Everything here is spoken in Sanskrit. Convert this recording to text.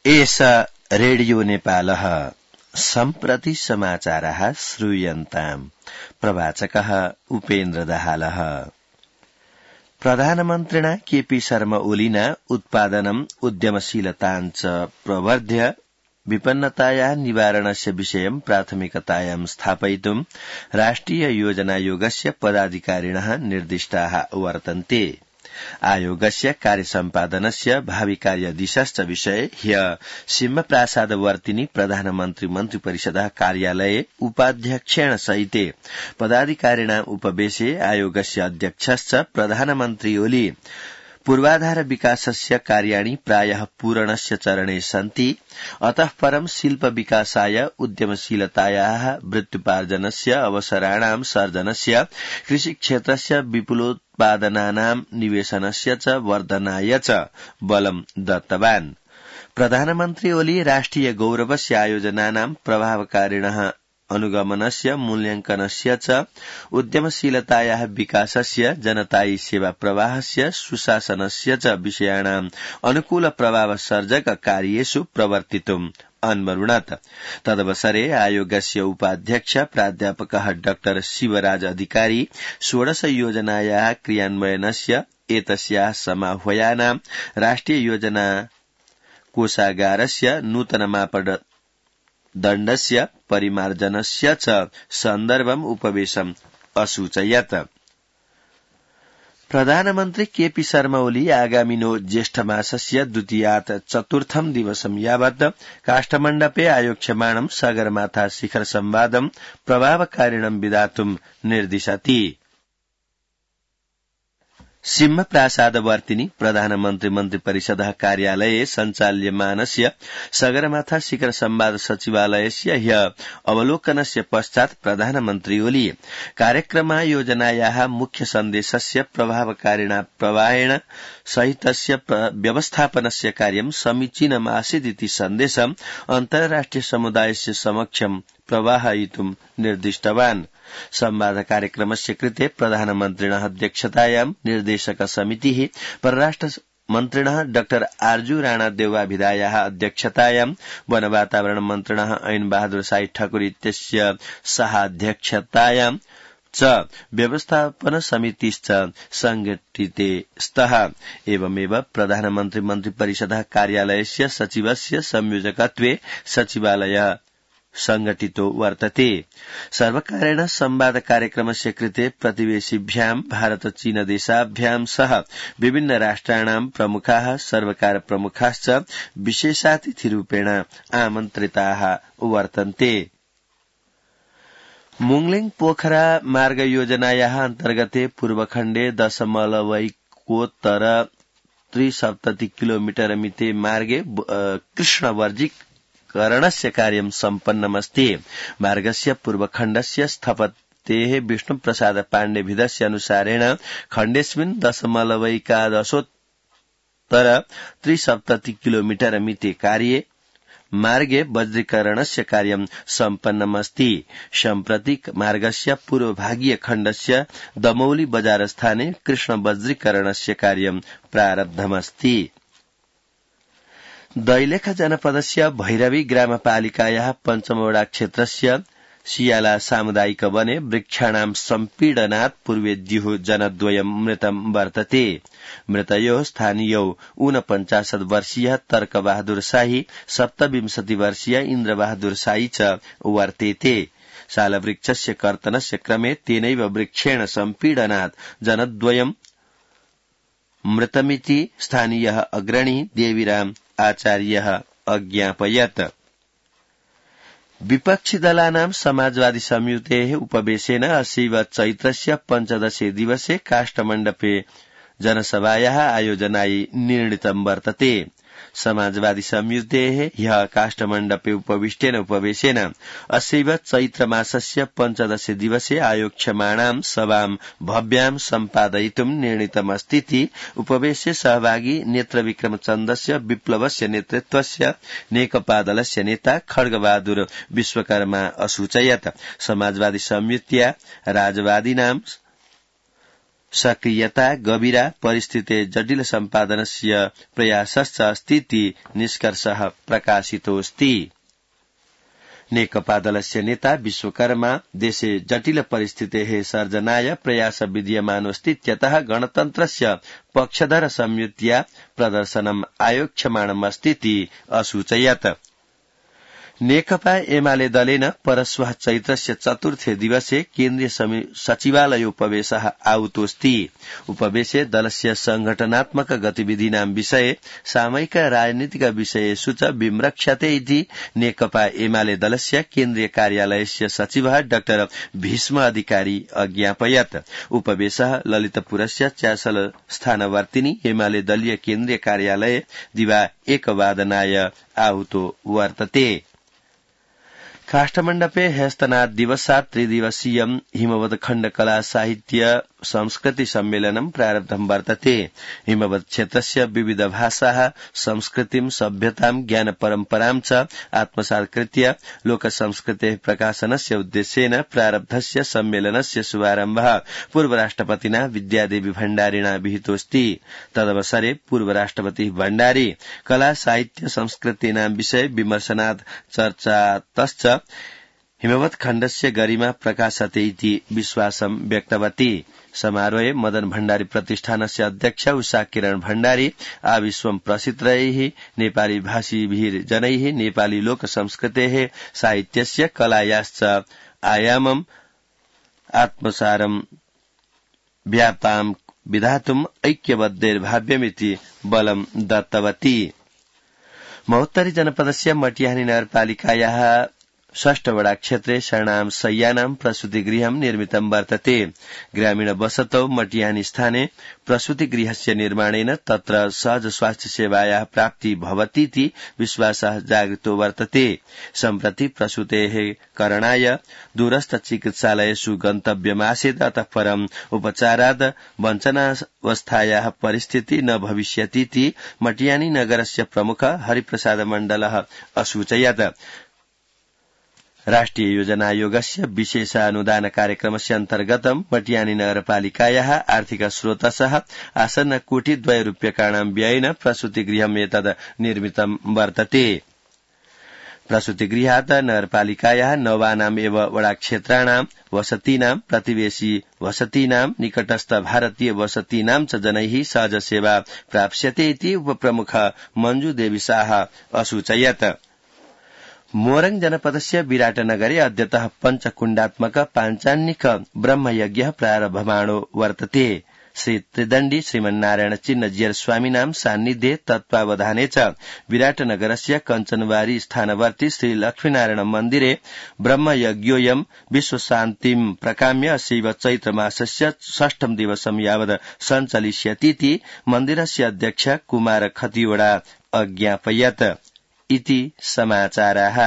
एष रेडियो नेपालः सम्प्रति समाचारः श्रूयन्ताम्। प्रवाचकः उपेन्द्र दाहालः। प्रधानमन्त्रिणा केपी शर्मा ओलिना उत्पादनम् उद्यमशीलताञ्च प्रवर्ध्य विपन्नतायाः निवारणस्य विषयं प्राथमिकतायां स्थापयितुं राष्ट्रिय योजनायोगस्य पदाधिकारिणः निर्दिष्टाः वर्तन्ते। आयोगस्य कार्यसम्पादनस्य भावि कार्यदिशश्च विषये ह्यः सिंहप्रासादवर्तिनि प्रधानमन्त्री मन्त्रिपरिषदः कार्यालये उपाध्यक्षेण सहिते पदाधिकारिणाम् उपवेशे आयोगस्य अध्यक्षश्च प्रधानमन्त्री ओली पूर्वाधार विकासस्य कार्याणि प्रायः पूरणस्य चरणे सन्ति। अतः परं शिल्प विकासाय उद्यमशीलतायाः वृत्त्युपार्जनस्य अवसराणां सर्जनस्य कृषिक्षेत्रस्य विपुलोत्पादनानां निवेशनस्य च वर्धनाय च बलं दत्तवान्। प्रधानमन्त्री ओली राष्ट्रिय गौरवस्य आयोजनानां प्रभावकारिणः अनुगमनस्य मूल्यांकनस्य च उद्यमशीलतायाः विकासस्य जनतायी सेवा प्रवाहस्य सुशासनस्य च विषयाणाम् अनुकूल प्रभाव सर्जक कार्येषु प्रवर्तितुम् अन्वरुणत। तदवसरे आयोगस्य उपाध्यक्ष प्राध्यापकः डॉ शिवराज अधिकारी 16 योजनायाः क्रियान्वयनस्य एतस्याः समाह्वयानां राष्ट्रिय योजना कोषागारस्य नूतन मापदण्डस्य परिमार्जनस्य च सन्दर्भम् उपवेशम् असूचयत्। प्रधानमन्त्री केपी शर्मा ओली आगामिनो ज्येष्ठमासस्य द्वितीयात् चतुर्थं दिवसं यावत् काष्ठमण्डपे आयोक्ष्यमाणं सगरमाथा शिखर संवादं प्रभावकारिणं विधातुं निर्दिशति। सिंहप्रासादवर्तिनि प्रधानमन्त्री मन्त्रिपरिषदः कार्यालये सञ्चाल्यमानस्य सगरमाथा शिखर संवाद सचिवालयस्य ह्यः अवलोकनस्य पश्चात् प्रधानमन्त्री ओली कार्यक्रमायोजनायाः मुख्य सन्देशस्य प्रभावकारिणा प्रवाहेण सहितस्य व्यवस्थापनस्य कार्यं समीचीनमासीदिति सन्देशम् अन्ताराष्ट्रिय समुदायस्य समक्षं प्रवाहयितुं निर्दिष्टवान्। संवाद कार्यक्रमस्य कृते प्रधानमन्त्रिणः अध्यक्षतायां निर्देशक समितिः परराष्ट्र मन्त्रिणः डॉ आर्जू राणा देवाभिधायाः अध्यक्षतायां वन वातावरण मन्त्रिणः ऐन बहादुर साई ठाकुर इत्यस्य सहाध्यक्षतायां च व्यवस्थापन समितिश्च संघटिते स्तः। एवमेव प्रधानमन्त्री मन्त्रिपरिषदः कार्यालयस्य सचिवस्य संयोजकत्वे सचिवालयः संघटितो वर्तते। सर्वकारेण संवाद कार्यक्रमस्य कृते प्रतिवेशिभ्यां भारत चीन देशाभ्यां सह विभिन्न राष्ट्राणां प्रमुखाः सर्वकार प्रमुखाश्च विशेषातिथिरूपेण आमन्त्रिताः वर्तन्ते। मुंगलिङ पोखरा मार्ग योजनायाः अन्तर्गते पूर्वखण्डे 0.73 किलोमीटर मिते मार्गे कृष्णवर्जीकरणस्य कार्यं सम्पन्नमस्ति। मार्गस्य पूर्वखण्डस्य स्थपतेः विष्णुप्रसाद पाण्डेभिधस्य अनुसारेण खण्डेस्मिन् 0.73 किलोमीटर मिते कार्ये मार्गे वज्रीकरणस्य कार्यं सम्पन्नमस्ति। सम्प्रति मार्गस्य पूर्वभागीय खण्डस्य दमौली बजार स्थाने कृष्ण वज्रीकरणस्य कार्यं प्रारब्धमस्ति। दैलेख जनपदस्य भैरवी ग्रामपालिकायाः पञ्चमवडा क्षेत्रस्य सियाला सामुदायिक वने वृक्षाणां सम्पीडनात् पूर्वे द्युः जनद्वयं मृतं वर्तते। मृतयोः स्थानीयौ 49 वर्षीयः तर्कबहादुर शाही 27 वर्षीय इन्द्रबहादुर शाही च वर्तेते। सालवृक्षस्य कर्तनस्य क्रमे तेनैव वृक्षेण सम्पीडनात् जनद्वयं मृतमिति स्थानीयः अग्रणी देवीराम आचार्यः अज्ञापयत्। विपक्षी दलानां समाजवादी संयुतेः उपवेशेन अस्यैव चैत्रस्य 15 दिवसे काष्ठमण्डपे जनसभायाः आयोजनाय निर्णीतं वर्तते। समाजवादी संयुतेः ह्यः काष्ठमण्डपे उपविष्टेन उपवेशेन अस्यैव चैत्रमासस्य 15 दिवसे आयोक्ष्यमाणां सभां भव्यां सम्पादयितुं निर्णीतमस्तीति उपवेशे सहभागी नेत्रविक्रमचन्दस्य विप्लवस्य नेतृत्वस्य नेकपा दलस्य नेता खड्गबहादुर विश्वकर्मा असूचयत्। समाजवादी संयुत्या राजवादीनां सक्रियता गभीरा परिस्थिते जटिल सम्पादनस्य प्रयासश्च अस्तीति निष्कर्षः प्रकाशितोऽस्ति। नेकपा दलस्य नेता विश्वकर्मा देशे जटिल परिस्थितेः सर्जनाय प्रयास विद्यमानोऽस्तीत्यतः गणतन्त्रस्य पक्षधर संयुत्या प्रदर्शनम् आयोक्ष्यमाणमस्तीति असूचयत्। नेकपा एमाले दलेन परश्वः चैत्रस्य चतुर्थे दिवसे केन्द्रीय सचिवालयोपवेशः आहुतोऽस्ति। उपवेशे दलस्य संघटनात्मक गतिविधीनां विषये सामयिक राजनीतिक विषयेषु च विमृक्षते इति नेकपा एमाले दलस्य केन्द्रीय कार्यालयस्य सचिवः डाक्टर भीष्म अधिकारी अज्ञापयत्। उपवेशः ललितपुरस्य च्यासल स्थानवर्तिनि एमाले दलीय केन्द्रीय कार्यालये दिवा 1 वादनाय आहुतो वर्तते। काष्ठमण्डपे ह्यस्तनात् दिवसात् त्रिदिवसीयं हिमवत् खण्ड कला साहित्य संस्कृति सम्मेलनं प्रारब्धं वर्तते। हिमवत् क्षेत्रस्य विविध भाषाः संस्कृतिं सभ्यतां ज्ञान परम्परां च आत्मसात् कृत्य लोकसंस्कृतेः प्रकाशनस्य उद्देश्येन प्रारब्धस्य सम्मेलनस्य शुभारम्भः पूर्वराष्ट्रपतिना विद्यादेवी भण्डारिणा विहितोऽस्ति। तदवसरे पूर्वराष्ट्रपतिः भण्डारी कला साहित्य संस्कृतीनां विषये विमर्शनात् चर्चातश्च हिमवत् खण्डस्य गरिमा प्रकाशते इति विश्वासं व्यक्तवती। समारोहे मदन भण्डारी प्रतिष्ठानस्य अध्यक्ष उषा किरण भण्डारी आविश्वं प्रसिद्धैः नेपाली भाषीभिः जनैः नेपाली लोक संस्कृतेः साहित्यस्य कलायाश्च आयामम् आत्मसारं व्यापां विधातुम् ऐक्यबद्धैर्भाव्यमिति बलं दत्तवती। महोत्तरी जनपदस्य मटिहानी नगरपालिकायाः 6 वडा क्षेत्रे शरणां शय्यानां प्रसूतिगृहं निर्मितं वर्तते। ग्रामीण वसतौ मटिहानी स्थाने प्रसूतिगृहस्य निर्माणेन तत्र सहज स्वास्थ्य सेवायाः प्राप्ति भवतीति विश्वासः जागृतो वर्तते। सम्प्रति प्रसूतेः करणाय दूरस्थ चिकित्सालयेषु गन्तव्यमासीत्, अतः परम् उपचाराद् वञ्चनावस्थायाः परिस्थिति न भविष्यतीति मटिहानी नगरस्य प्रमुख हरिप्रसाद मण्डलः असूचयत्। राष्ट्रिय योजना आयोगस्य विशेष अनुदान कार्यक्रमस्य अन्तर्गतं मटिहानी नगरपालिकायाः आर्थिक स्रोतसः आसन्न ₹2,00,00,000 व्ययेन प्रसूतिगृहम् एतद् निर्मितं वर्तते। प्रसूतिगृहात् नगरपालिकायाः 9 एव वडाक्षेत्राणां वसतीनां प्रतिवेशी वसतीनां निकटस्थ भारतीय वसतीनां च जनैः सहज सेवा प्राप्स्यते इति उपप्रमुख मञ्जु देवी शाह असूचयत्। मोरङ जनपदस्य विराटनगरे अद्यतः पञ्चकुण्डात्मक पाञ्चान्निक ब्रह्मयज्ञः प्रारभमाणो वर्तते। श्री त्रिदण्डी श्रीमन्नारायण चिन्नजियर स्वामिनां सान्निध्ये तत्त्वावधाने च विराटनगरस्य कञ्चनबारी स्थानवर्ती श्री लक्ष्मीनारायण मन्दिरे ब्रह्मयज्ञोऽयं विश्वशान्तिं प्रकाम्य अशैव चैत्रमासस्य 6 दिवसं यावत् सञ्चलिष्यतीति मन्दिरस्य अध्यक्ष कुमार खतिवडा अज्ञापयत् इति समाचाराः।